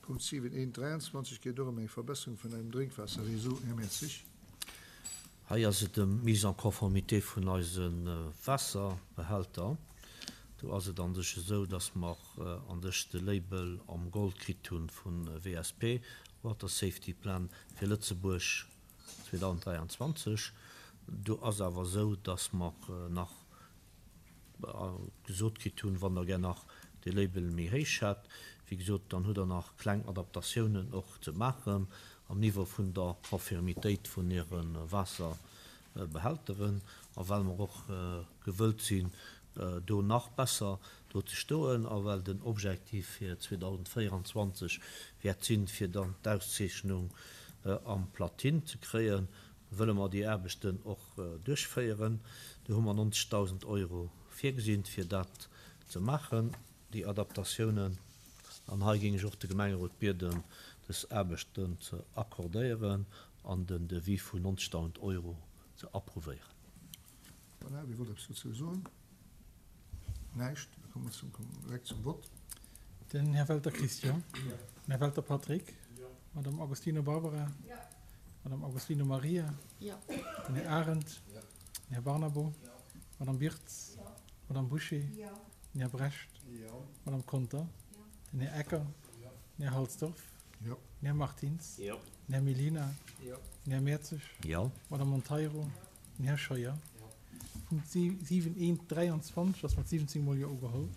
Punkt 7, 1, 23 geet och ëm eng Verbesserung vun engem Drénkwaasserreseau. Här Mertzig. Hei ass et ëm d'Mise en conformité vun eise Waasserbehälter. Do ass et an sech esou, dass mer an sech de Label am Gold kritt hu vu WSP, Water Safety Plan, fir Lëtzebuerg 2023. Do ass awer esou, dass mer nach gesot kritt hunn, wann Der gär nach dee Label méi héich hätt, wéi gesot, dann hutt Der nach kleng Adaptatiounen och ze maachen am Niveau vun der Konfirmitéit vun Äre Waasserbehälteren. A well mer och gewëllt sinn, do nach besser do ze stoen a well den Objektiv fir 2024 wäert sinn, fir dann d'Auszeechnung am Platine ze kréien, wëlle mer déi Aarbechten och duerchféieren. Do hu mer 90.000 Euro virgesinn, fir dat ze maachen, déi Adaptatiounen. An hei géing ech och de Gemengerot bieden, dës Aarbechten ze accordéieren an den Devis vun 90.000 Euro ze approuvéieren. Voilà, wie wollt eppes dozou soen? Näischt? Da komme mer direkt zum Vott. Den Här Welter Christian. Den Här Welter Patrick. Madame Agostino Barbara. Madame Agostino Maria. Den Här Arendt. Den Här Barnabo. Madame Birtz. Madame Bouché. Den Här Brecht. Madame Conter. Den Här Ecker. Den Här Halsdorf. Den Här Martins. Den Här Mellina. Den Här Mertzig. Madame Monteiro. Den Här Scheuer. Punkt 7, 1, 23 ass mat 17 mol Jo ugeholl.